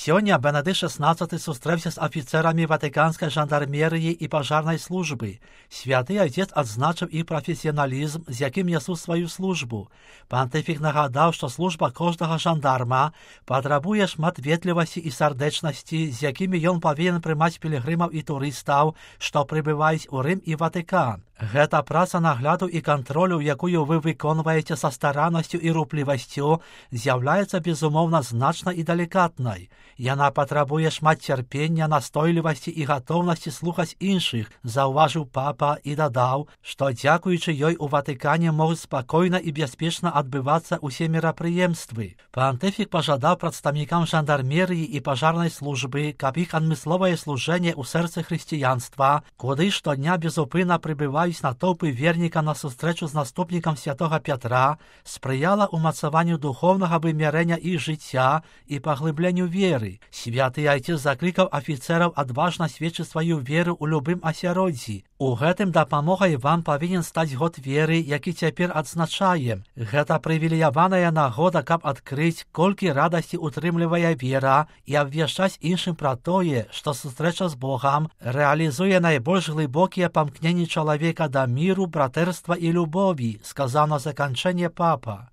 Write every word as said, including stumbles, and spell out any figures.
Сёння Бенедикт шестнадцатый сустрэўся з афіцэрамі ватыканскай жандармерыі і пажарнай службы. Святы Отец адзначыў іх прафесіяналізм, з якім нясуць сваю службу. Пантыфік нагадаў, што служба кожнага жандарма патрабуе шмат ветлівасці і сардэчнасці, з якімі ён павінен прымаць пілігрымаў і турыстаў, што прыбываюць у Рым і Ватыкан. Гэта праца нагляду і кантролю, якую вы выконваеце са стараннасцю і руплівасцю, з'яўляецца безумоўна значнай і далікатнай. Яна патрабуе шмат цярпення, настойлівасці і гатоўнасці слухаць іншых, заўважыў папа і дадаў, што дзякуючы ёй у Ватыкане могуць спакойна і бяспечна адбывацца ўсе мерапрыемствы. Пантыфік пажадаў прадстаўнікам жандармерыі і пажарнай службы, каб іх адмысловае служэнне ў сэрцы хрысціянства, куды штодня безупынна прыбываюць натоўпы верніка на сустрэчу з наступнікам святога Пятра, спрыяла ўмацаванню духоўнага вымярэння іх жыцця і паглыбленню веры. Святы Айцец заклікаў афіцэраў адважна сведчыць сваю веру ў любым асяроддзі. У гэтым дапамогай вам павінен стаць год веры, які цяпер адзначаем. Гэта прывілеяваная нагода, каб адкрыць, колькі радасці утрымлівае вера і абвяшчаць іншым пра тое, што сустрэча з Богам рэалізуе найбольш глыбокія памкненні чалавека да міру, братэрства і любові, сказаў на заканчэнне папа.